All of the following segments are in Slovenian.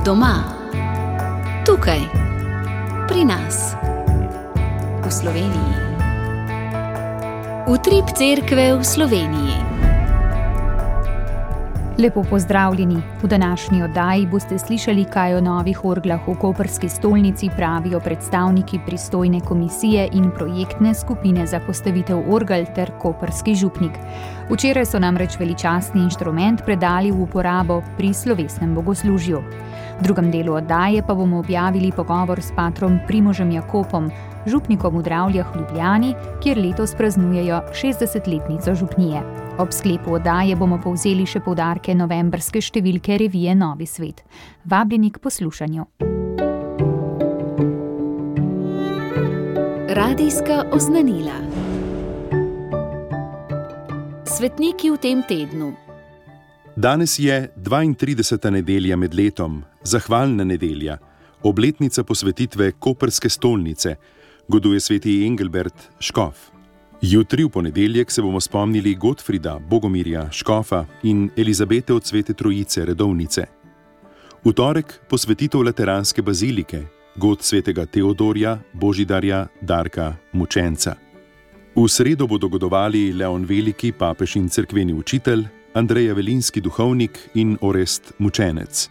Doma, tukaj, pri nas, v Sloveniji. Utrip cerkve v Sloveniji. Lepo pozdravljeni. V današnji oddaji boste slišali, kaj o novih orglah v koprski stolnici pravijo predstavniki pristojne komisije in projektne skupine za postavitev orgel ter koprski župnik. Včeraj so namreč veličastni inštrument predali v uporabo pri slovesnem bogoslužju. V drugem delu oddaje pa bomo objavili pogovor s patrom Primožem Jakopom, župnikom v Dravljah v Ljubljani, kjer letos praznujejo 60-letnico župnije. Ob sklepu oddaje bomo povzeli še poudarke novembrske številke revije Novi svet. Vabljeni k poslušanju. Radijska oznanila. Svetniki v tem tednu. Danes je 32. nedelja med letom, zahvalna nedelja, obletnica posvetitve koprske stolnice, goduje sveti Engelbert škof. Jutri v ponedeljek se bomo spomnili Gotfrida, Bogomirja, škofa in Elizabete od Svete Trojice, redovnice. V torek posvetitev Lateranske bazilike, god svetega Teodorja, Božidarja, Darka, mučenca. V sredo bodo godovali Leon Veliki, papež in cerkveni učitelj, Andrej Avelinski, duhovnik in Orest, mučenec.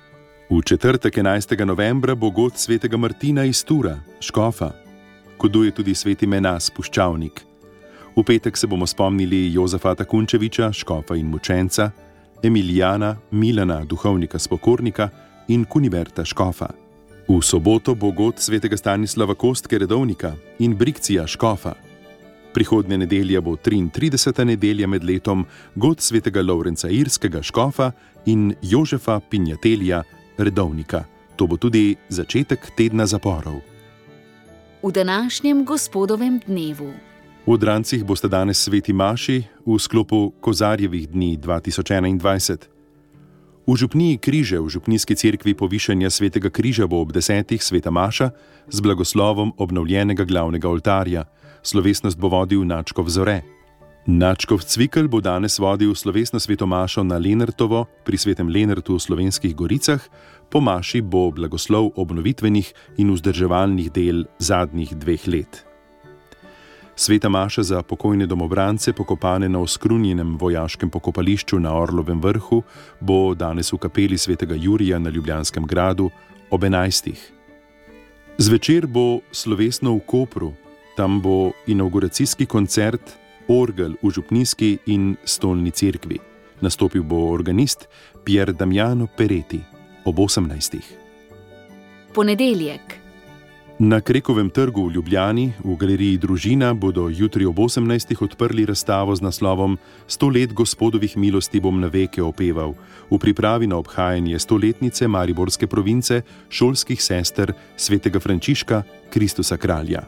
V četrtek 11. novembra bo god svetega Martina iz Tura, škofa. Goduje tudi sveti Menas, puščavnik. V petek se bomo spomnili Jozefata Kunčeviča, škofa in mučenca, Emilijana, Milana, duhovnika spokornika in Kuniberta, škofa. V soboto bo god svetega Stanislava Kostke, redovnika in Brikcija, škofa. Prihodnja nedelja bo 33. nedelja med letom, god svetega Lovrenca Irskega, škofa in Jožefa Pinjatelja, redovnika. To bo tudi začetek tedna zaporov. V današnjem gospodovem dnevu. V Odrancih boste danes sveti maši v sklopu Kozarjevih dni 2021. V župniji Križe v župnijski cerkvi Povišanja svetega križa bo ob 10. sveta maša z blagoslovom obnovljenega glavnega oltarja. Slovesnost bo vodil nadškof Zore. Nadškof Cvikl bo danes vodil slovesno sveto mašo na Lenartovo pri svetem Lenartu v Slovenskih Goricah. Po maši bo blagoslov obnovitvenih in vzdrževalnih del zadnjih 2 let. Sveta maša za pokojne domobrance, pokopane na oskrunjenem vojaškem pokopališču na Orlovem vrhu, bo danes v kapeli svetega Jurija na Ljubljanskem gradu ob 11. Zvečer bo slovesno v Kopru. Tam bo inavguracijski koncert orgel v župnijski in stolni cerkvi. Nastopil bo organist Pier Damiano Peretti ob 18. Ponedeljek. Na Krekovem trgu v Ljubljani v galeriji Družina bodo jutri ob 18. odprli razstavo z naslovom 100 let gospodovih milosti bom na veke opeval, v pripravi na obhajanje 100-letnice mariborske province šolskih sester svetega Frančiška Kristusa kralja.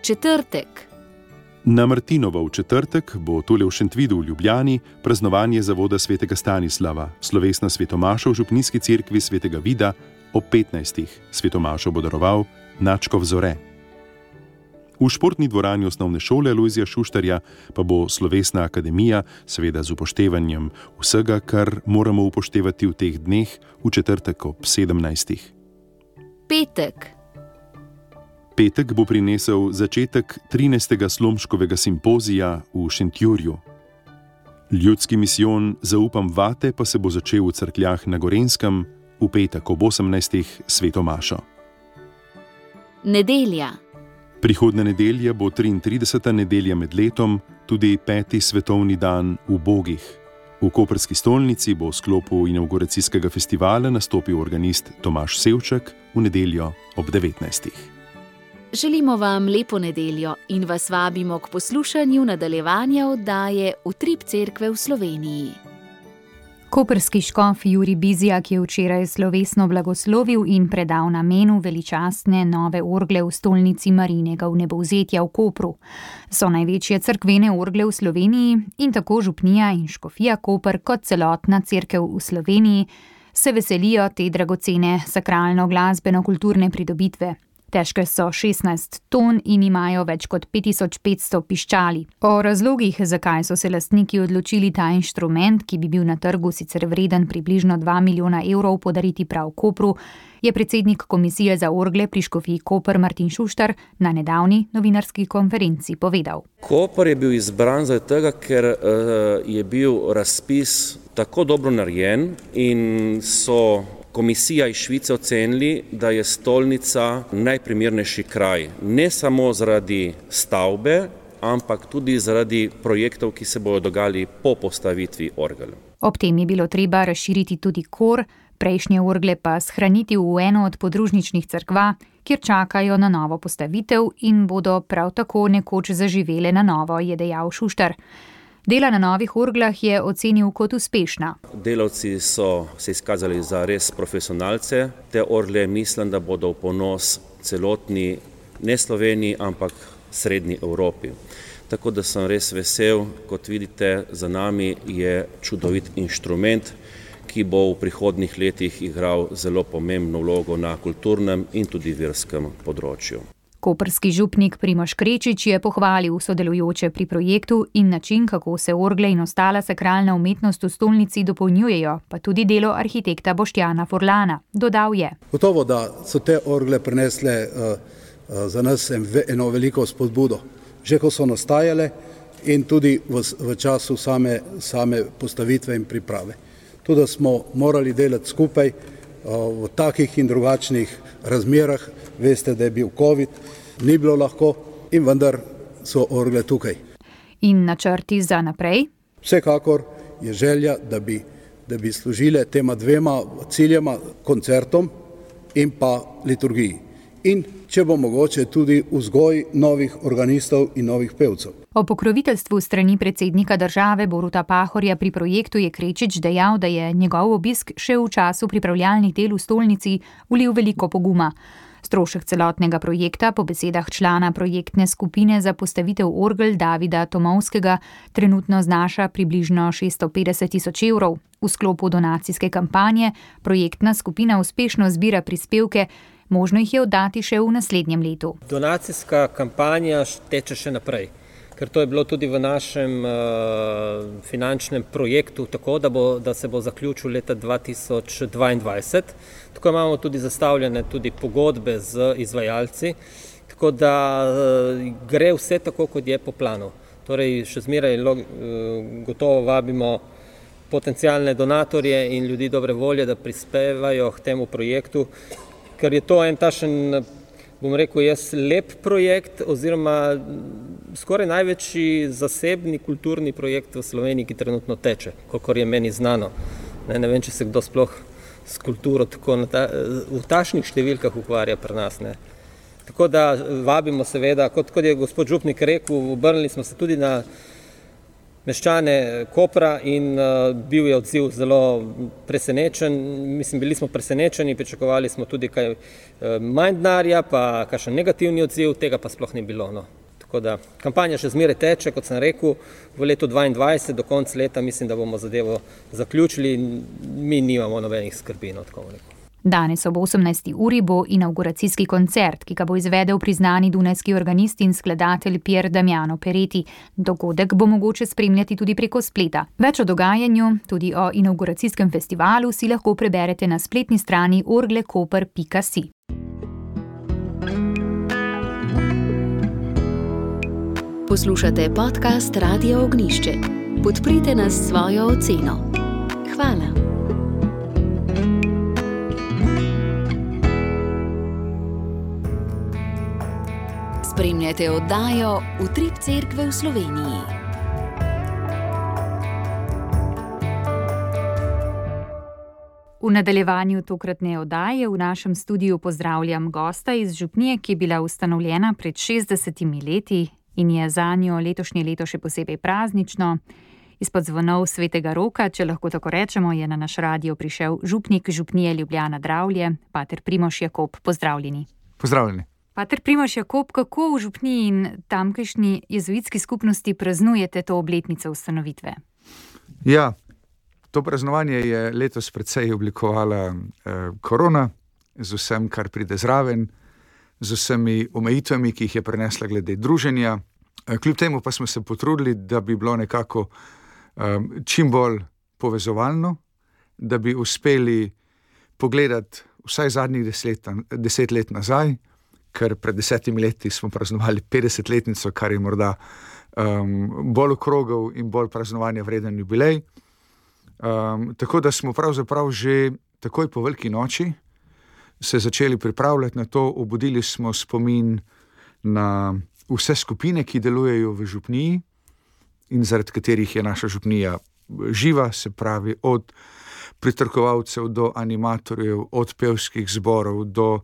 Četrtek. Na Martinovo v četrtek bo tule v Šentvidu v Ljubljani praznovanje zavoda svetega Stanislava, slovesna svetomaša v župnijski cerkvi svetega Vida ob 15. Svetomašo bo daroval nadškof Zore. V športni dvorani osnovne šole Lojzija Šuštarja pa bo slovesna akademija, seveda z upoštevanjem vsega, kar moramo upoštevati v teh dneh, v četrtek ob 17. Petek. Petek bo prinesel začetek 13. Slomškovega simpozija v Šentjurju. Ljudski misijon Zaupam vate pa se bo začel v Cerkljah na Gorenjskem v petek ob 18. sveto mašo. Nedelja. Prihodnja nedelja bo 33. nedelja med letom, tudi 5. svetovni dan ubogih. V koprski stolnici bo v sklopu inavguracijskega festivala nastopil organist Tomaž Sevček v nedeljo ob 19. Želimo vam lepo nedeljo in vas vabimo k poslušanju nadaljevanja oddaje Utrip cerkve v Sloveniji. Koprski škof Jurij Bizjak je včeraj slovesno blagoslovil in predal namenu veličastne nove orgle v stolnici Marijinega vnebovzetja v Kopru. So največje cerkvene orgle v Sloveniji in tako župnija in škofija Koper kot celotna cerkev v Sloveniji se veselijo te dragocene sakralno-glasbeno-kulturne pridobitve. Težke so 16 ton in imajo več kot 5500 piščali. O razlogih, zakaj so se lastniki odločili ta inštrument, ki bi bil na trgu sicer vreden približno 2 milijona evrov, podariti prav Kopru, je predsednik komisije za orgle pri Škofiji Koper Martin Šuštar na nedavni novinarski konferenci povedal. Koper je bil izbran zaradi tega, ker je bil razpis tako dobro narejen in so komisija iz Švice ocenili, da je stolnica najprimernejši kraj. Ne samo zaradi stavbe, ampak tudi zaradi projektov, ki se bodo dogajali po postavitvi orgel. Ob tem je bilo treba razširiti tudi kor, prejšnje orgle pa shraniti v eno od podružničnih cerkva, kjer čakajo na novo postavitev in bodo prav tako nekoč zaživele na novo, je dejal Šuštar. Dela na novih orglah je ocenil kot uspešna. Delavci so se izkazali za res profesionalce. Te orgle mislim, da bodo v ponos celotni, ne Sloveniji, ampak srednji Evropi. Tako da sem res vesel, kot vidite, za nami je čudovit inštrument, ki bo v prihodnjih letih igral zelo pomembno vlogo na kulturnem in tudi verskem področju. Koprski župnik Primož Krečič je pohvalil sodelujoče pri projektu in način, kako se orgle in ostala sakralna umetnost v stolnici dopolnjujejo, pa tudi delo arhitekta Boštjana Furlana. Dodal je. Gotovo, da so te orgle prinesle za nas eno veliko spodbudo. Že ko so nastajale in tudi v času same postavitve in priprave. Tudi smo morali delati skupaj v takih in drugačnih razmerah. Veste, da je bil COVID, ni bilo lahko in vendar so orgle tukaj. In načrti za naprej? Vsekakor je želja, da bi služile tema dvema ciljema, koncertom in pa liturgiji. In če bo mogoče tudi vzgoj novih organistov in novih pevcev. O pokroviteljstvu strani predsednika države Boruta Pahorja pri projektu je Krečič dejal, da je njegov obisk še v času pripravljalnih del v stolnici vlil veliko poguma. Strošek celotnega projekta po besedah člana projektne skupine za postavitev orgel Davida Tomovskega trenutno znaša približno 650 000 evrov. V sklopu donacijske kampanje projektna skupina uspešno zbira prispevke, možno jih je oddati še v naslednjem letu. Donacijska kampanja teče še naprej, ker to je bilo tudi v našem finančnem projektu tako, da se bo zaključil leta 2022. Tako imamo tudi zastavljene tudi pogodbe z izvajalci, tako da gre vse tako, kot je po planu. Torej, še zmeraj gotovo vabimo potencialne donatorje in ljudi dobre volje, da prispevajo k temu projektu, ker je to en tašen, bom rekel jaz, lep projekt oziroma skoraj največji zasebni kulturni projekt v Sloveniji, ki trenutno teče, kolikor je meni znano. Ne vem, če se kdo sploh s kulturo tako v tašnih številkah ukvarja pri nas. Ne. Tako da vabimo seveda, kot je gospod župnik rekel, obrnili smo se tudi na meščane Kopra in bil je odziv zelo presenečen. Mislim, bili smo presenečeni, pričakovali smo tudi kaj manj denarja, pa kakšen negativni odziv, tega pa sploh ni bilo. No. Tako da kampanja še zmeraj teče, kot sem rekel, v letu 2022, do konca leta mislim, da bomo zadevo zaključili in mi nimamo nobenih skrbi. No, tako rekel. Danes ob 18. uri bo inauguracijski koncert, ki ga bo izvedel priznani dunajski organist in skladatelj Pier Damiano Pereti. Dogodek bo mogoče spremljati tudi preko spleta. Več o dogajanju, tudi o inauguracijskem festivalu, si lahko preberete na spletni strani orglekoper.si. Poslušate podcast Radia Ognjišče. Podprite nas s svojo oceno. Hvala. Spremljate oddajo Utrip cerkve v Sloveniji. V nadaljevanju tokratne oddaje v našem studiu pozdravljam gosta iz župnije, ki je bila ustanovljena pred 60 leti in je zanjo letošnje leto še posebej praznično. Izpod zvonov Svetega Roka, če lahko tako rečemo, je na naš radio prišel župnik župnije Ljubljana Dravlje, pater Primož Jakob. Pozdravljeni. Pozdravljeni. Pater Primož Jakob, kako v župniji in tamkajšnji jezuitski skupnosti praznujete to obletnico ustanovitve? Ja, to praznovanje je letos precej oblikovala korona z vsem, kar pride zraven. z vsemi omejitvami, ki jih je prenesla glede druženja. Kljub temu pa smo se potrudili, da bi bilo nekako čim bolj povezovalno, da bi uspeli pogledati vsaj zadnjih 10 let nazaj, ker pred 10 leti smo praznovali 50-letnico, kar je morda bolj okrogel in bolj praznovanja vreden jubilej. Tako da smo pravzaprav že takoj po veliki noči se začeli pripravljati na to, obudili smo spomin na vse skupine, ki delujejo v župniji in zaradi katerih je naša župnija živa, se pravi od pritrkovalcev do animatorjev, od pevskih zborov do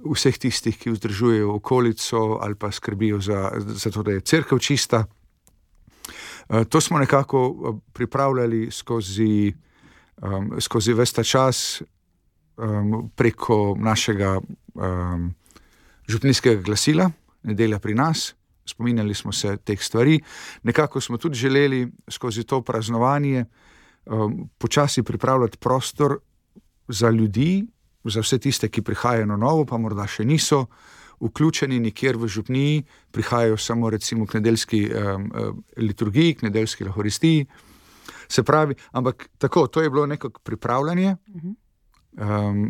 vseh tistih, ki vzdržujejo okolico ali pa skrbijo za to, da je cerkev čista. To smo nekako pripravljali skozi ves ta čas preko našega župnijskega glasila Nedelja pri nas. Spominjali smo se teh stvari. Nekako smo tudi želeli skozi to praznovanje počasi pripravljati prostor za ljudi, za vse tiste, ki prihajajo na novo, pa morda še niso vključeni nikjer v župniji, prihajajo samo recimo k nedeljski liturgiji, k nedeljski lahoristiji. Se pravi, ampak tako, to je bilo nekako pripravljanje,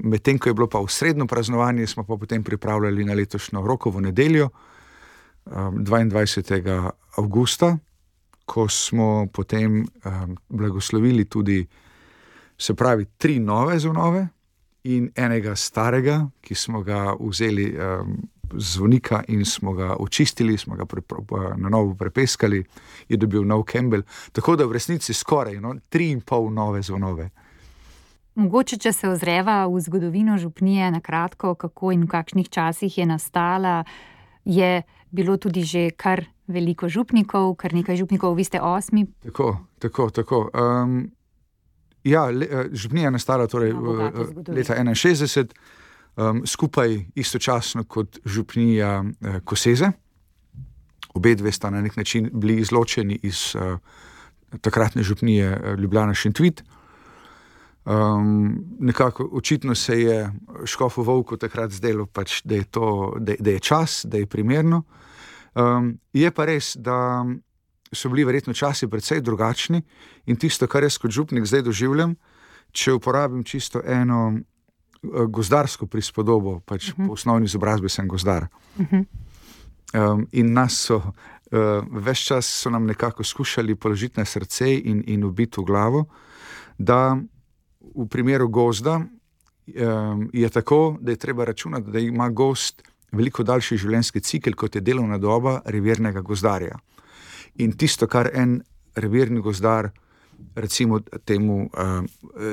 medtem ko je bilo pa osrednjo praznovanje, smo pa potem pripravljali na letošnjo Rokovo nedeljo, 22. avgusta, ko smo potem blagoslovili tudi, se pravi, 3 nove zvonove in enega starega, ki smo ga vzeli zvonika in smo ga očistili, smo ga na novo prepeskali, je dobil nov kembelj, tako da v resnici skoraj 3,5 nove zvonove. Mogoče, če se ozreva v zgodovino župnije na kratko, kako in v kakšnih časih je nastala, je bilo tudi že kar veliko župnikov, kar nekaj župnikov, vi ste 8. Tako. Župnija je nastala torej leta 61, skupaj istočasno kot župnija Koseze. Obe dve sta na nek način bili izločeni iz takratne župnije Ljubljana Šentvid. Nekako očitno se je škofu Vovku takrat zdelo pač, da je čas, da je primerno. Je pa res, da so bili verjetno časi precej drugačni in tisto, kar jaz kot župnik zdaj doživljam, če uporabim čisto eno gozdarsko prispodobo, pač po osnovni izobrazbi sem gozdar. In nas so, ves čas so nam nekako skušali položiti na srce in ubiti v glavo, da v primeru gozda je tako, da je treba računati, da ima gozd veliko daljši življenjski cikel, kot je delovna doba revirnega gozdarja. In tisto, kar en revirni gozdar recimo temu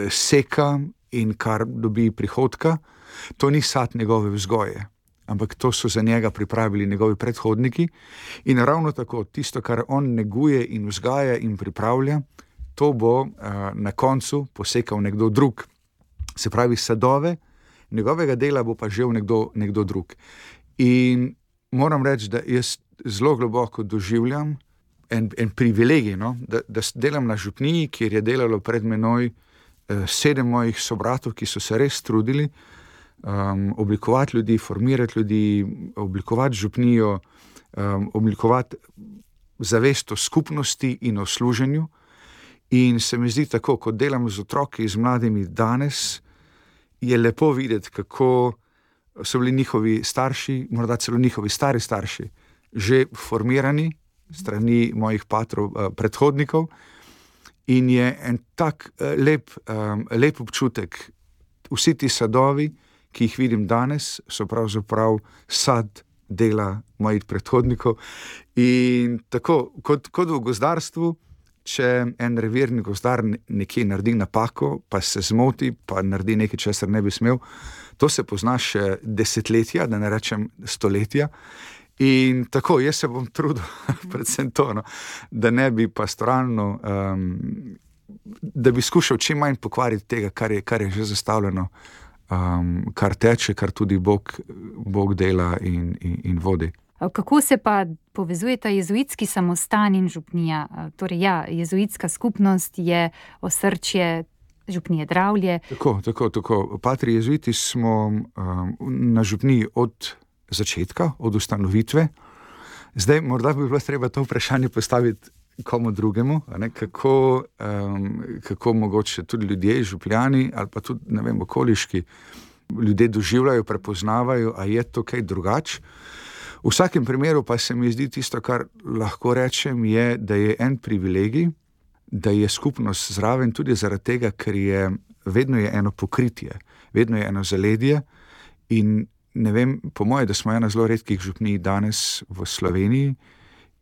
seka in kar dobi prihodka, to ni sad njegove vzgoje, ampak to so za njega pripravili njegovi predhodniki in ravno tako tisto, kar on neguje in vzgaja in pripravlja, to bo na koncu posekal nekdo drug. Se pravi, sadove njegovega dela bo pa žel nekdo drug. In moram reči, da jaz zelo globoko doživljam en privilegij, da delam na župniji, kjer je delalo pred menoj 7 mojih sobratov, ki so se res trudili oblikovati ljudi, formirati ljudi, oblikovati župnijo, oblikovati zavest o skupnosti in o služenju. In se mi zdi tako, ko delam z otroki, z mladimi danes, je lepo videti, kako so bili njihovi starši, morda celo njihovi stari starši, že formirani strani mojih patrov, predhodnikov. In je en tak lep občutek. Vsi ti sadovi, ki jih vidim danes, so pravzaprav sad dela mojih predhodnikov. In tako, kot v gozdarstvu, če en revirni gozdar nekje naredi napako, pa se zmoti, pa naredi nekaj, česar ne bi smel, to se pozna še desetletja, da ne rečem stoletja. In tako, jaz se bom trudil, predvsem to, da ne bi pastoralno, da bi skušal čim manj pokvariti tega, kar je že zastavljeno, kar teče, kar tudi Bog dela in vodi. Kako se pa povezujeta jezuitski samostan in župnija? Torej jezuitska skupnost je osrčje župnije Dravlje. Tako. Patri jezuiti smo na župniji od začetka, od ustanovitve. Zdaj, morda bi bilo treba to vprašanje postaviti komu drugemu, kako mogoče tudi ljudje, župljani ali pa tudi, ne vem, okoliški ljudje doživljajo, prepoznavajo, a je to kaj drugače. V vsakem primeru pa se mi zdi tisto, kar lahko rečem, je, da je en privilegij, da je skupnost zraven tudi zaradi tega, ker vedno je eno pokritje, vedno je eno zaledje in ne vem, po moje, da smo ena zelo redkih župnij danes v Sloveniji,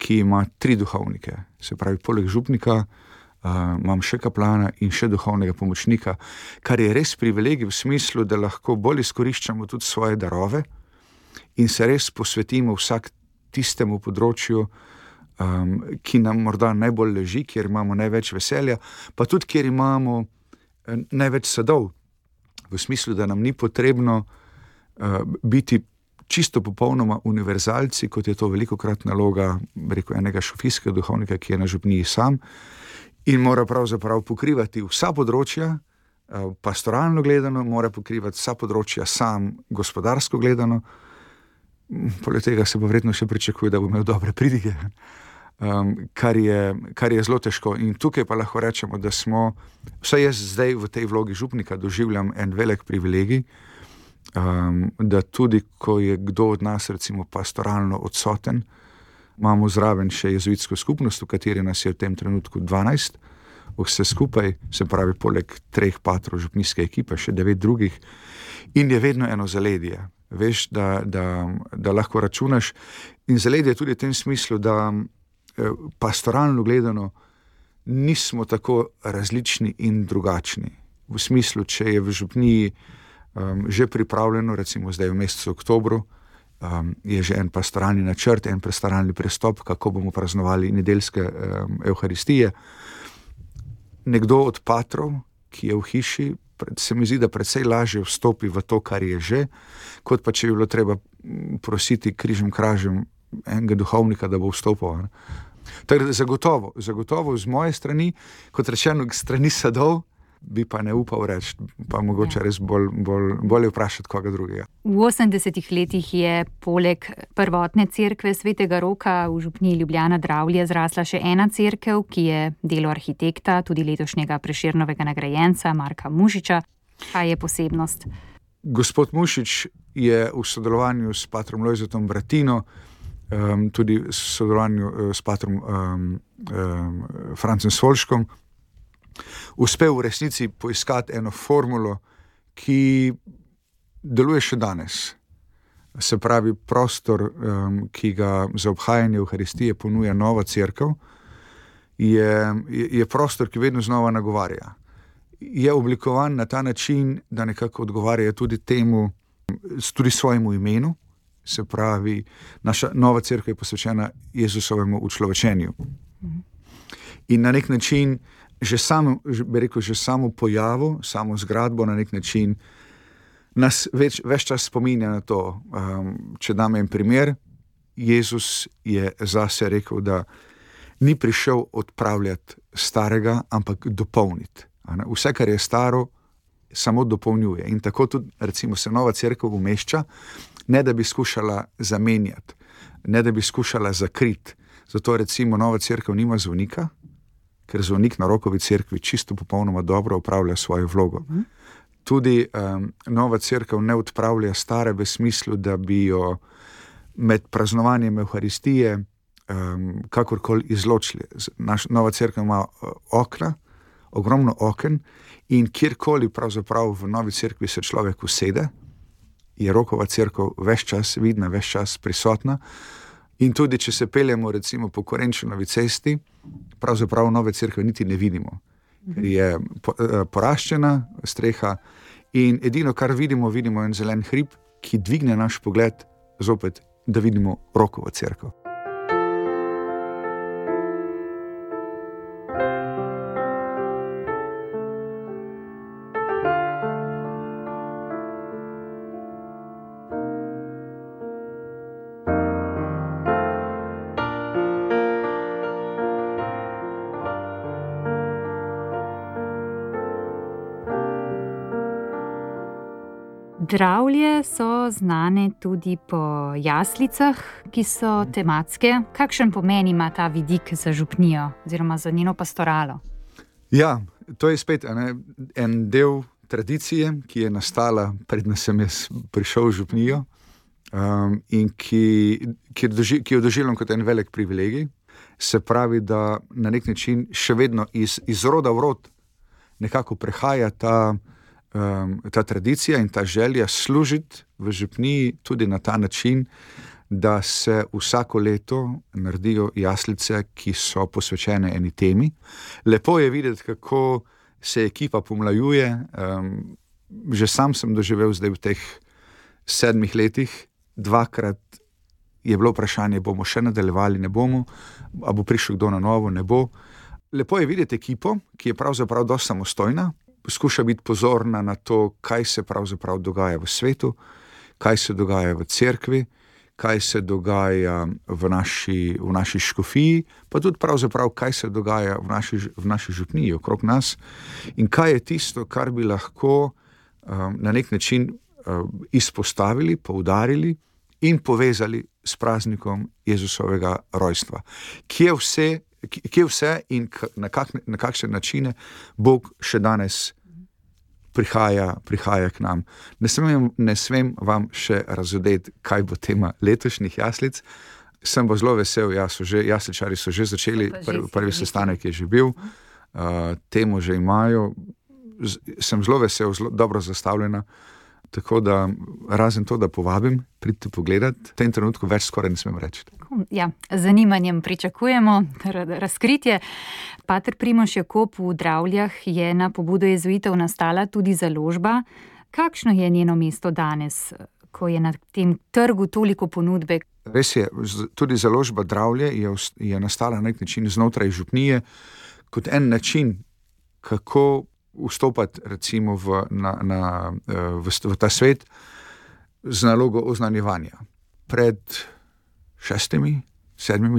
ki ima 3 duhovnike. Se pravi, poleg župnika imam še kaplana in še duhovnega pomočnika, kar je res privilegij v smislu, da lahko bolj izkoriščamo tudi svoje darove in se res posvetimo vsak tistemu področju, ki nam morda najbolj leži, kjer imamo največ veselja, pa tudi kjer imamo največ sadov. V smislu, da nam ni potrebno biti čisto popolnoma univerzalci, kot je to velikokrat naloga, rekel, enega šofijskega duhovnika, ki je na župniji sam in mora pravzaprav pokrivati vsa področja, pastoralno gledano, mora pokrivati vsa področja sam, gospodarsko gledano. Poleg tega se pa verjetno še pričakuje, da bo imel dobre pridige, kar je zelo težko. In tukaj pa lahko rečemo, da smo, vsaj jaz zdaj v tej vlogi župnika doživljam en velik privilegij, da tudi, ko je kdo od nas recimo pastoralno odsoten, imamo zraven še jezuitsko skupnost, v kateri nas je v tem trenutku 12, vse skupaj, se pravi poleg 3 patrov župnijske ekipe, še 9 drugih, in je vedno eno zaledje. Veš, da lahko računaš in zaledje tudi v tem smislu, da pastoralno gledano nismo tako različni in drugačni. V smislu, če je v župniji že pripravljeno, recimo zdaj v mesecu oktobru, je že en pastoralni načrt, en pastoralni pristop, kako bomo praznovali nedeljske evharistije. Nekdo od patrov, ki je v hiši, se mi zdi, da precej lažje vstopi v to, kar je že, kot pa če bi bilo treba prositi križem kražem enega duhovnika, da bo vstopil. Tako da zagotovo z moje strani, kot rečeno, strani sadov, bi pa ne upal reči, pa mogoče res bolje vprašati koga drugega. V 80-ih letih je poleg prvotne cerkve Svetega Roka v župniji Ljubljana Dravlje zrasla še ena cerkev, ki je delo arhitekta, tudi letošnjega Prešernovega nagrajenca Marka Mušiča. Kaj je posebnost? Gospod Mušič je v sodelovanju s patrom Lojzetom Bratino, tudi v sodelovanju s patrom Francem Svolškom, uspel v resnici poiskati eno formulo, ki deluje še danes. Se pravi, prostor, ki ga za obhajanje Evharistije ponuja nova cerkev, je prostor, ki vedno znova nagovarja. Je oblikovan na ta način, da nekako odgovarja tudi temu, tudi svojemu imenu, se pravi, naša nova cerkev je posvečena Jezusovemu učlovečenju. In na nek način že samo pojavo, samo zgradbo na nek način nas več čas spominja na to. Če dam en primer, Jezus je zase rekel, da ni prišel odpravljati starega, ampak dopolniti. Vse, kar je staro, samo dopolnjuje. In tako tudi, recimo, se nova cerkev umešča, ne da bi skušala zamenjati, ne da bi skušala zakriti. Zato recimo nova cerkev nima zvonika, ker zvonik na rokovi cerkvi čisto popolnoma dobro opravlja svojo vlogo. Tudi nova cerkev ne odpravlja stare v smislu, da bi jo med praznovanjem Evharistije kakorkoli izločili. Nova cerkev ima okna, ogromno oken in kjerkoli pravzaprav v novi cerkvi se človek usede, je rokova cerkev ves čas vidna, ves čas prisotna. In tudi, če se peljemo recimo po Korenčanovi cesti, pravzaprav nove cerkve niti ne vidimo. Ker je poraščena streha in edino, kar vidimo en zelen hrib, ki dvigne naš pogled zopet, da vidimo rokovo cerkev. Dravlje so znane tudi po jaslicah, ki so tematske. Kakšen pomen ima ta vidik za župnijo oziroma za njeno pastoralo? Ja, to je spet en del tradicije, ki je nastala, predno sem jaz prišel v župnijo, in ki jo doživljam kot en velik privilegij. Se pravi, da na nek način še vedno iz roda v rod nekako prehaja ta tradicija in ta želja služiti v župniji tudi na ta način, da se vsako leto naredijo jaslice, ki so posvečene eni temi. Lepo je videti, kako se ekipa pomlajuje. Že sam sem doživel zdaj v teh 7 letih, 2-krat je bilo vprašanje, bomo še nadaljevali, ne bomo, a bo prišel kdo na novo, ne bo. Lepo je videti ekipo, ki je pravzaprav dosti samostojna, poskuša biti pozorna na to, kaj se pravzaprav dogaja v svetu, kaj se dogaja v cerkvi, kaj se dogaja v naši škofiji, pa tudi pravzaprav, kaj se dogaja v naši župniji okrog nas in kaj je tisto, kar bi lahko na nek način izpostavili, poudarili in povezali s praznikom Jezusovega rojstva. Kje vse in na kakšne načine Bog še danes prihaja k nam. Ne smem vam še razodeti, kaj bo tema letošnjih jaslic. Sem pa zelo vesel, jasličari so že začeli, prvi sestanek je že bil, temo že imajo. Sem zelo vesel, zelo dobro zastavljena. Tako da, razen to, da povabim, pridite pogledati, v tem trenutku več skoraj ne smem reči. Ja, z zanimanjem pričakujemo razkritje. Pater Primož Jakob, v Dravljah je na pobudo jezuitov nastala tudi založba. Kakšno je njeno mesto danes, ko je na tem trgu toliko ponudbe? Res je, tudi založba Dravlje je nastala na nek način znotraj župnije, kot en način, kako vstopati recimo v ta svet z nalogo oznanjevanja. Pred 6-7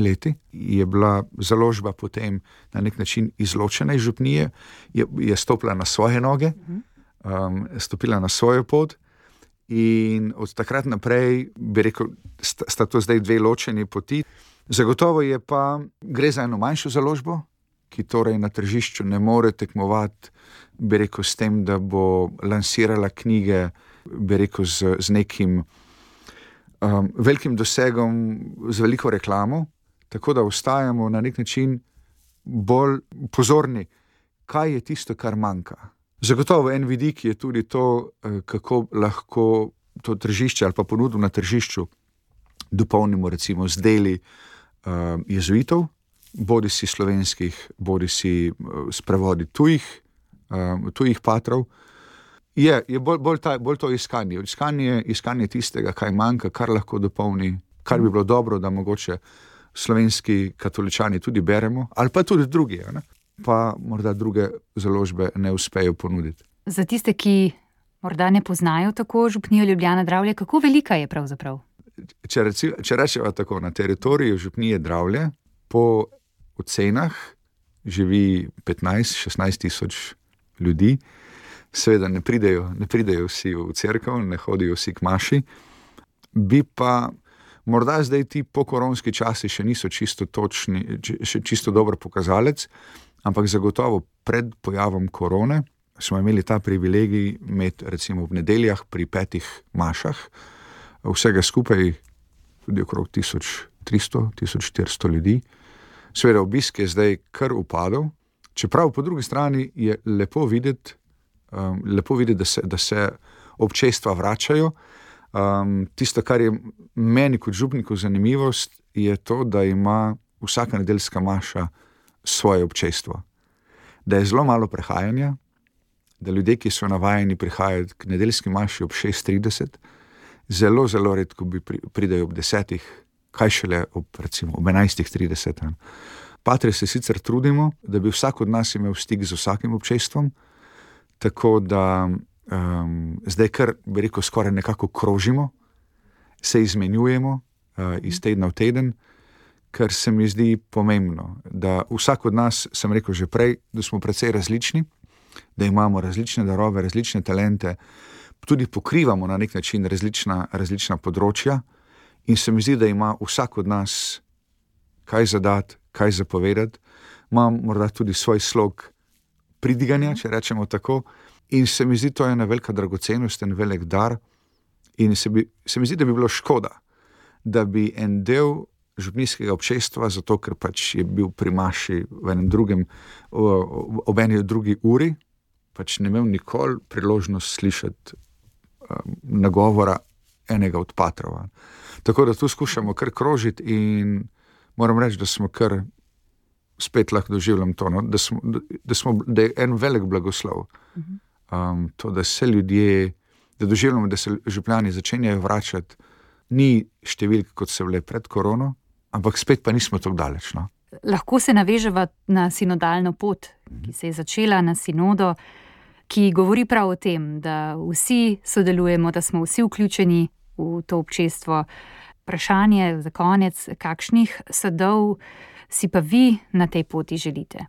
leti je bila založba potem na nek način izločena iz župnije, je stopila na svoje noge, stopila na svojo pot in od takrat naprej, bi rekel, sta to zdaj 2 ločeni poti. Zagotovo je pa, gre za eno manjšo založbo, ki torej na tržišču ne more tekmovati, bi rekel, s tem, da bo lansirala knjige, bi rekel, z nekim velikim dosegom, z veliko reklamo, tako da ostajamo na nek način bolj pozorni, kaj je tisto, kar manjka. Zagotovo en vidik je tudi to, kako lahko to tržišče ali pa ponudbo na tržišču dopolnimo recimo z deli jezuitov, bodisi slovenskih, bodisi s prevodi tujih patrov. Je bolj to iskanje tistega, kaj manjka, kar lahko dopolni, kar bi bilo dobro, da mogoče slovenski katoličani tudi beremo, ali pa tudi drugi, ne? Pa morda druge založbe ne uspejo ponuditi. Za tiste, ki morda ne poznajo tako župnijo Ljubljana Dravlje, kako velika je pravzaprav? Če rečeva tako, na teritoriju župnije Dravlje po ocenah živi 15-16 tisoč ljudi. Seveda ne pridejo vsi v cerkev, ne hodijo vsi k maši. Bi pa morda zdaj ti pokoronski časi še niso čisto točni, še čisto dober pokazalec, ampak zagotovo pred pojavom korone smo imeli ta privilegij imeti recimo v nedeljah pri 5 mašah, vsega skupaj tudi okrog 1300-1400 ljudi. Seveda obisk je zdaj kar upadel, čeprav po drugi strani je lepo videti, da se občestva vračajo. Tisto, kar je meni kot župniku zanimivost, je to, da ima vsaka nedeljska maša svoje občestvo. Da je zelo malo prehajanja, da ljudje, ki so navajeni prihajati k nedeljski maši ob 6:30, zelo, zelo redko pridejo ob 10, kaj šele ob 11:30. Patri se sicer trudimo, da bi vsak od nas imel stik z vsakim občestvom, tako da zdaj kar, bi rekel, skoraj nekako krožimo, se izmenjujemo iz tedna v teden, ker se mi zdi pomembno, da vsak od nas, sem rekel že prej, da smo precej različni, da imamo različne darove, različne talente, tudi pokrivamo na nek način različna področja in se mi zdi, da ima vsak od nas kaj zadati, kaj zapovedati. Imam morda tudi svoj slog pridiganja, če rečemo tako, in se mi zdi, to je ena velika dragocenost, en velik dar in se mi zdi, da bi bilo škoda, da bi en del župnijskega občestva, zato ker pač je bil pri maši v enem drugem, ob eni drugi uri, pač ne imel nikoli priložnost slišati nagovora enega od patrov. Tako da tu skušamo kar krožiti in moram reči, da smo kar spet lahko doživljam to, no? da je en velik blagoslov. To, da se ljudje, da doživljamo, da se župljani začenjajo vračati, ni številk, kot so bile pred korono, ampak spet pa nismo tako daleč. No? Lahko se naveževa na sinodalno pot, ki se je začela na sinodo, ki govori prav o tem, da vsi sodelujemo, da smo vsi vključeni v to občestvo. Vprašanje za konec, kakšnih sadov si pa vi na tej poti želite?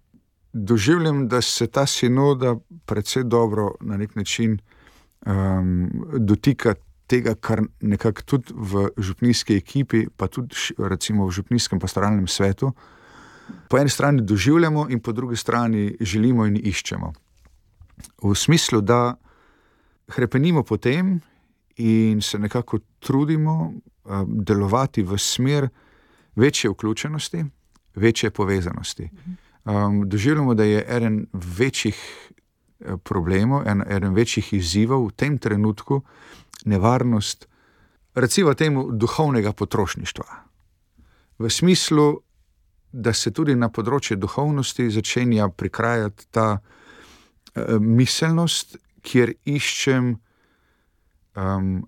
Doživljam, da se ta sinoda precej dobro na nek način dotika tega, kar nekako tudi v župnijski ekipi, pa tudi recimo v župnijskem pastoralnem svetu, po eni strani doživljamo in po drugi strani želimo in iščemo. V smislu, da hrepenimo po tem in se nekako trudimo delovati v smer večje vključenosti, večje povezanosti. Doživljamo, da je eden večjih problemov, eden večjih izzivov v tem trenutku nevarnost, recimo temu, duhovnega potrošništva. V smislu, da se tudi na področju duhovnosti začenja prikrajati ta miselnost, kjer iščem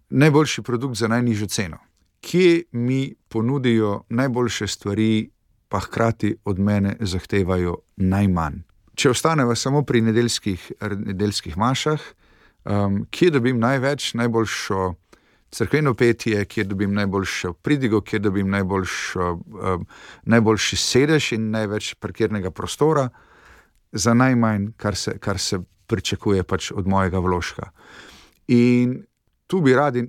najboljši produkt za najnižjo ceno. Kje mi ponudijo najboljše stvari, pa hkrati od mene zahtevajo najmanj. Če ostaneva samo pri nedeljskih mašah, kje dobim najboljšo cerkveno petje, kje dobim najboljšo pridigo, kje dobim najboljši sedež in največ parkirnega prostora za najmanj, kar se pričakuje pač od mojega vložka. In tu bi radi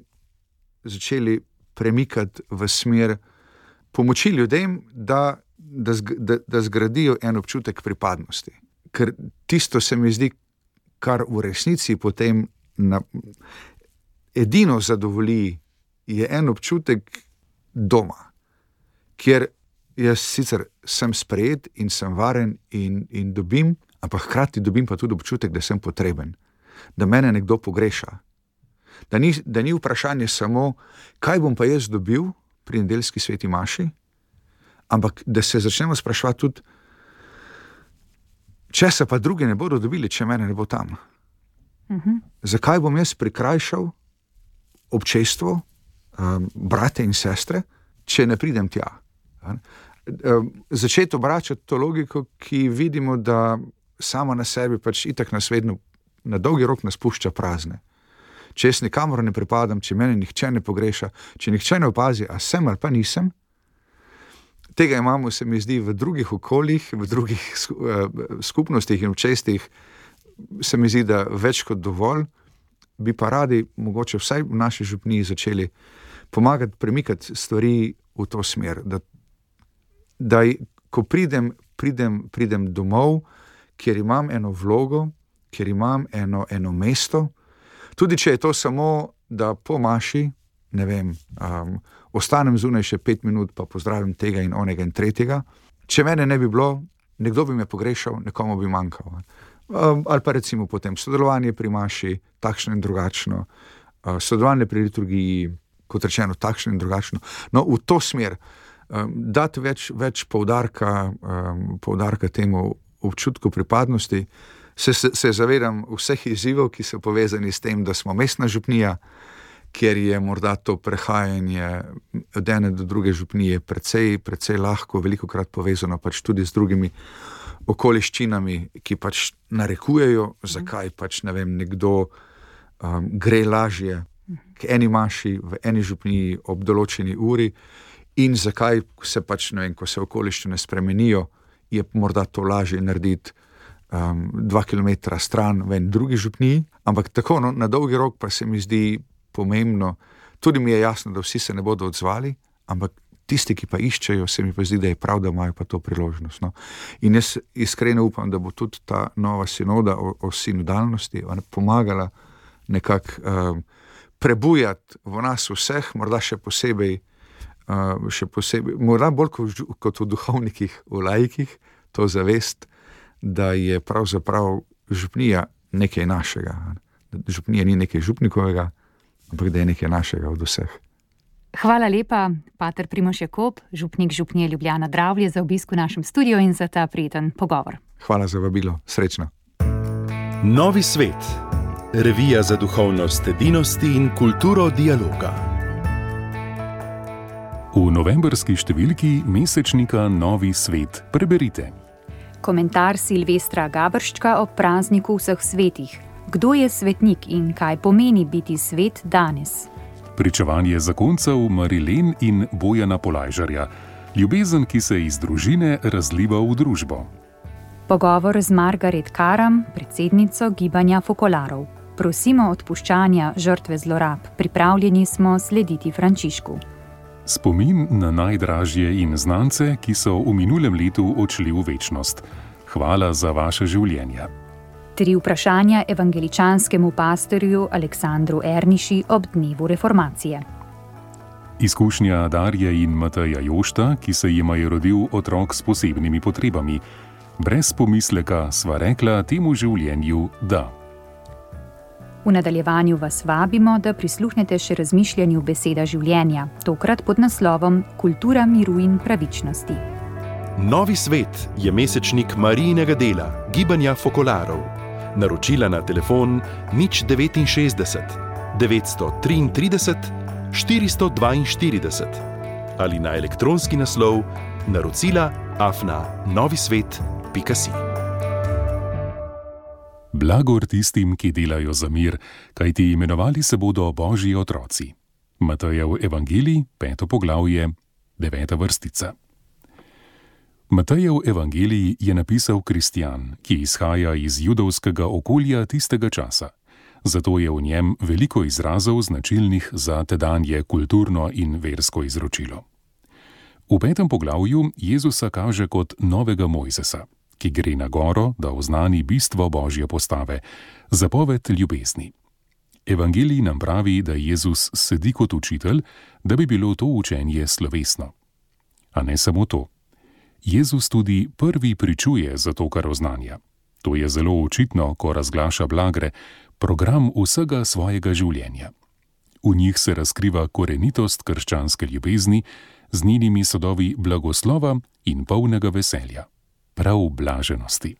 začeli premikati v smer pomoči ljudem, da zgradijo en občutek pripadnosti. Ker tisto se mi zdi, kar v resnici potem edino zadovolji, je en občutek doma, kjer jaz sicer sem sprejet in sem varen in dobim, ampak hkrati dobim pa tudi občutek, da sem potreben, da mene nekdo pogreša. Da ni vprašanje samo, kaj bom pa jaz dobil pri nedeljski sveti maši, ampak da se začnemo spraševati tudi, če se pa drugi ne bodo dobili, če mene ne bo tam. Zakaj bom jaz prikrajšal občestvo, brate in sestre, če ne pridem tja? Začeti obračati to logiko, ki vidimo, da sama na sebi pač itak nas vedno na dolgi rok nas pušča prazne. Če jaz nikamor ne pripadam, če mene nihče ne pogreša, če nihče ne opazi, a sem ali pa nisem, tega imamo, se mi zdi, v drugih okoljih, v drugih skupnostih in občestvih, se mi zdi, da več kot dovolj, bi pa radi, mogoče vsaj v naši župniji, začeli pomagati premikati stvari v to smer, da ko pridem domov, kjer imam eno vlogo, kjer imam eno mesto, tudi če je to samo, da po maši, ne vem, ostanem zunaj še 5 minut, pa pozdravim tega in onega in tretjega. Če mene ne bi bilo, nekdo bi me pogrešal, nekomu bi manjkal. Ali pa recimo potem sodelovanje pri maši, takšno in drugačno, sodelovanje pri liturgiji, kot rečeno, takšno in drugačno. No, v to smer, dati več poudarka temu občutku pripadnosti, se zavedam vseh izzivov, ki so povezani s tem, da smo mestna župnija, kjer je morda to prehajanje od ene do druge župnije precej lahko, velikokrat povezano pač tudi z drugimi okoliščinami, ki pač narekujejo, zakaj pač, ne vem, nekdo gre lažje k eni maši v eni župniji ob določeni uri in zakaj se pač, ne vem, ko se okoliščine spremenijo, je morda to lažje narediti 2 kilometra stran v en drugi župniji, ampak tako, no, na dolgi rok pa se mi zdi pomembno, tudi mi je jasno, da vsi se ne bodo odzvali, ampak tisti, ki pa iščejo, se mi pa zdi, da je prav, da imajo pa to priložnost. No. In jaz iskreno upam, da bo tudi ta nova sinoda o sinodalnosti pomagala nekako prebujati v nas vseh, morda še posebej, morda bolj kot v duhovnikih, v laikih, to zavest, da je pravzaprav župnija nekaj našega. Župnija ni nekaj župnikovega, ampak da je nekaj našega od vseh. Hvala lepa, pater Primož Jakob, župnik župnije Ljubljana Dravlje, za obisk v našem studiu in za ta prijeten pogovor. Hvala za vabilo, srečno. Novi svet. Revija za duhovnost edinosti in kulturo dialoga. V novembrski številki mesečnika Novi svet preberite. Komentar Silvestra Gabrščka ob prazniku vseh svetih. Kdo je svetnik in kaj pomeni biti svet danes? Pričevanje zakoncev Marilen in Bojana Polajžarja. Ljubezen, ki se iz družine razliva v družbo. Pogovor z Margaret Karam, predsednico gibanja Fokolarov. Prosimo odpuščanja žrtve zlorab. Pripravljeni smo slediti Frančišku. Spomin na najdražje in znance, ki so v minulem letu odšli v večnost. Hvala za vaše življenje. 3 vprašanja evangeličanskemu pastorju Aleksandru Erniši ob dnevu reformacije. Izkušnja Darje in Mateja Jošta, ki se jima je rodil otrok s posebnimi potrebami. Brez pomisleka sva rekla temu življenju da. V nadaljevanju vas vabimo, da prisluhnete še razmišljanju Beseda življenja, tokrat pod naslovom Kultura miru in pravičnosti. Novi svet je mesečnik Marijinega dela, gibanja Fokolarov. Naročila na telefon 069 933 442 ali na elektronski naslov naročila@novisvet.si. Blagor tistim, ki delajo za mir, kajti imenovali se bodo Božji otroci. Matejev evangelij, 5. poglavje, 9. vrstica. Matejev evangelij je napisal kristjan, ki izhaja iz judovskega okolja tistega časa. Zato je v njem veliko izrazov značilnih za tedanje kulturno in versko izročilo. V 5. poglavju Jezusa kaže kot novega Mojzesa, ki gre na goro, da oznani bistvo Božje postave, zapoved ljubezni. Evangelij nam pravi, da Jezus sedi kot učitelj, da bi bilo to učenje slovesno. A ne samo to. Jezus tudi prvi pričuje za to, kar oznanja. To je zelo očitno, ko razglaša blagre, program vsega svojega življenja. V njih se razkriva korenitost krščanske ljubezni z njenimi sadovi blagoslova in polnega veselja. Prav blaženosti.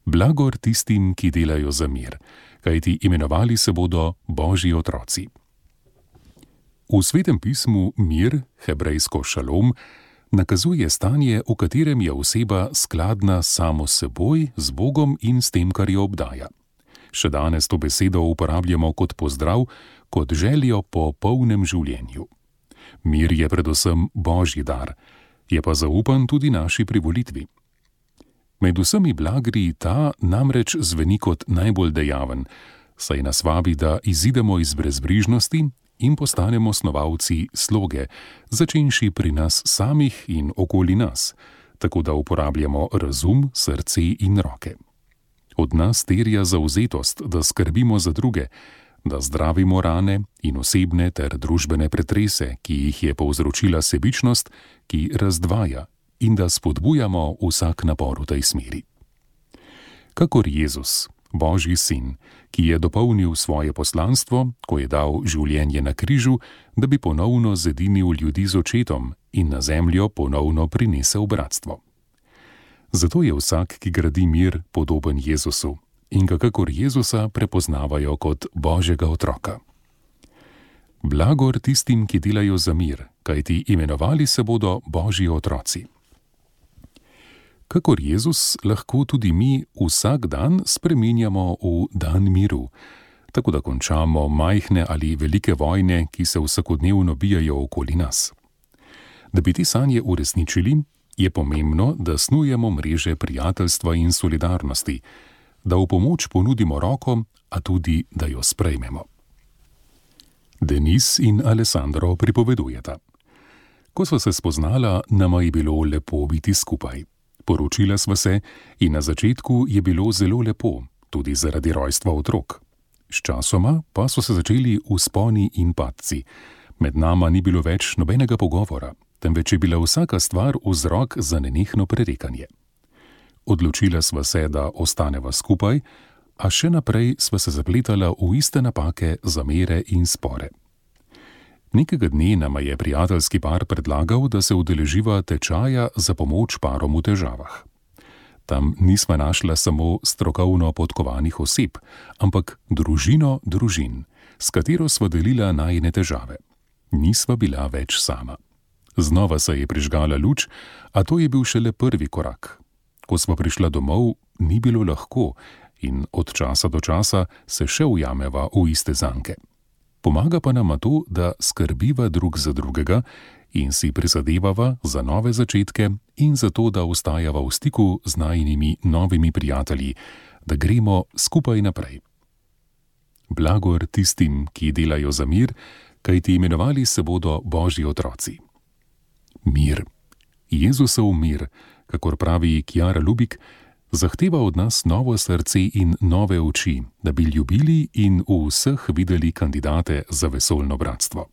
Blagor tistim, ki delajo za mir, kajti imenovali se bodo Božji otroci. V Svetem pismu mir, hebrejsko šalom, nakazuje stanje, v katerem je oseba skladna samo s seboj, z Bogom in s tem, kar jo obdaja. Še danes to besedo uporabljamo kot pozdrav, kot željo po polnem življenju. Mir je predvsem Božji dar, je pa zaupan tudi naši privolitvi. Med vsemi blagri ta namreč zveni kot najbolj dejaven, saj nas vabi, da izidemo iz brezbrižnosti in postanemo snovalci sloge, začenši pri nas samih in okoli nas, tako da uporabljamo razum, srce in roke. Od nas terja zavzetost, da skrbimo za druge, da zdravimo rane in osebne ter družbene pretrese, ki jih je povzročila sebičnost, ki razdvaja, in da spodbujamo vsak napor v tej smeri. Kakor Jezus, Božji sin, ki je dopolnil svoje poslanstvo, ko je dal življenje na križu, da bi ponovno zedinil ljudi z očetom in na zemljo ponovno prinesel bratstvo. Zato je vsak, ki gradi mir, podoben Jezusu in ga kakor Jezusa prepoznavajo kot Božjega otroka. Blagor tistim, ki delajo za mir, kajti imenovali se bodo Božji otroci. Kakor Jezus lahko tudi mi vsak dan spreminjamo v dan miru, tako da končamo majhne ali velike vojne, ki se vsakodnevno bijajo okoli nas. Da bi te sanje uresničili, je pomembno, da snujemo mreže prijateljstva in solidarnosti, da v pomoč ponudimo roko, a tudi, da jo sprejmemo. Denis in Alessandro pripovedujeta. Ko sva se spoznala, nama je bilo lepo biti skupaj. Poročila sva se in na začetku je bilo zelo lepo, tudi zaradi rojstva otrok. Sčasoma pa so se začeli vzponi in padci. Med nama ni bilo več nobenega pogovora, temveč je bila vsaka stvar vzrok za nenehno prerekanje. Odločila sva se, da ostaneva skupaj, a še naprej sva se zapletala v iste napake, zamere in spore. Nekega dne nama je prijateljski par predlagal, da se udeleživa tečaja za pomoč parom v težavah. Tam nisva našla samo strokovno podkovanih oseb, ampak družino družin, s katero sva delila najine težave. Nisva bila več sama. Znova se je prižgala luč, a to je bil šele prvi korak. Ko sva prišla domov, ni bilo lahko in od časa do časa se še ujameva v iste zanke. Pomaga pa nama to, da skrbiva drug za drugega in si prizadevava za nove začetke in za to, da ostajava v stiku z najinimi novimi prijatelji, da gremo skupaj naprej. Blagor tistim, ki delajo za mir, kajti imenovali se bodo Božji otroci. Mir. Jezusov mir, kakor pravi Chiara Lubik, zahteva od nas novo srce in nove oči, da bi ljubili in v vseh videli kandidate za vesoljno bratstvo.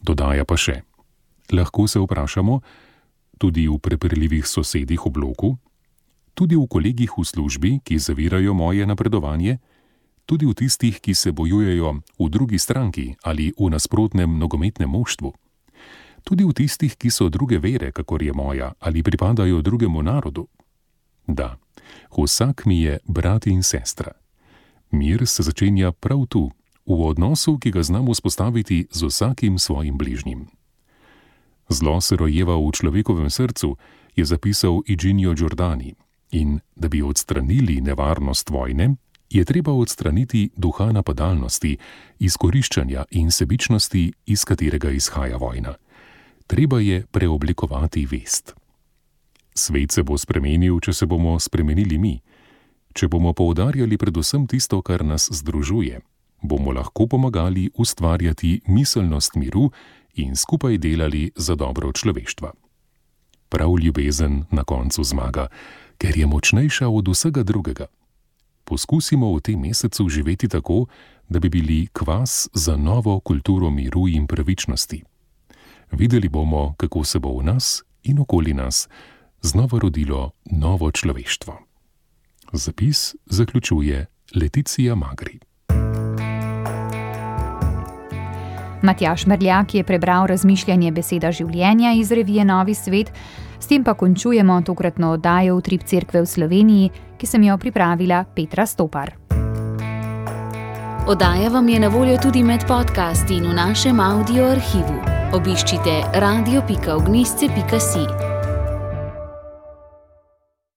Dodaja pa še: lahko se vprašamo, tudi v prepirljivih sosedih v bloku, tudi v kolegih v službi, ki zavirajo moje napredovanje, tudi v tistih, ki se bojujejo v drugi stranki ali v nasprotnem nogometnem moštvu, tudi v tistih, ki so druge vere, kakor je moja, ali pripadajo drugemu narodu. Da, vsak mi je brat in sestra. Mir se začenja prav tu, v odnosu, ki ga znamo vzpostaviti z vsakim svojim bližnjim. Zlo se rojeva v človekovem srcu, je zapisal Iginio Giordani, in da bi odstranili nevarnost vojne, je treba odstraniti duha napadalnosti, izkoriščanja in sebičnosti, iz katerega izhaja vojna. Treba je preoblikovati vest. Svet se bo spremenil, če se bomo spremenili mi. Če bomo poudarjali predvsem tisto, kar nas združuje, bomo lahko pomagali ustvarjati miselnost miru in skupaj delali za dobro človeštva. Prav ljubezen na koncu zmaga, ker je močnejša od vsega drugega. Poskusimo v tem mesecu živeti tako, da bi bili kvas za novo kulturo miru in pravičnosti. Videli bomo, kako se bo v nas in okoli nas znova rodilo novo človeštvo. Zapis zaključuje Leticija Magri. Matjaž Merljak je prebral razmišljanje Beseda življenja iz revije Novi svet, s tem pa končujemo tokratno oddajo Utrip cerkve v Sloveniji, ki sem jo pripravila Petra Stopar. Oddaja vam je na voljo tudi med podcasti in v našem audio arhivu. Obiščite radio.ognisce.si.